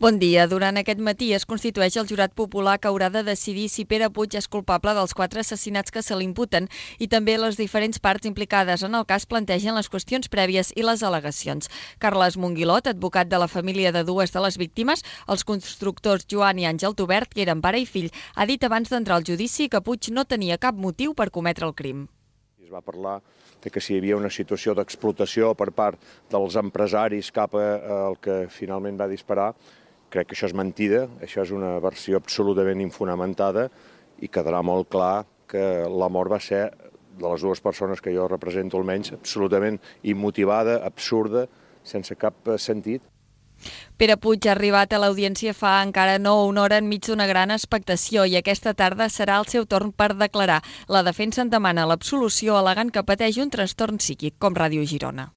Bon dia. Durant aquest matí es constitueix el jurat popular que haurà de decidir si Pere Puig és culpable dels 4 assassinats que se l'imputen i també les diferents parts implicades en el cas plantegen les qüestions prèvies i les al·legacions. Carles Monguilot, advocat de la família de dues de les víctimes, els constructors Joan i Àngel Tubert, que eren pare i fill, ha dit abans d'entrar al judici que Puig no tenia cap motiu per cometre el crim. Es va parlar de que si hi havia una situació d'explotació per part dels empresaris cap al que finalment va disparar. Crec que això és mentida, això és una versió absolutament infonamentada i quedarà molt clar que la mort va ser, de les dues persones que jo represento almenys, absolutament immotivada, absurda, sense cap sentit. Pere Puig ha arribat a l'audiència fa encara no una hora enmig d'una gran expectació i aquesta tarda serà el seu torn per declarar. La defensa en demana l'absolució al·legant que pateix un trastorn psíquic, com Ràdio Girona.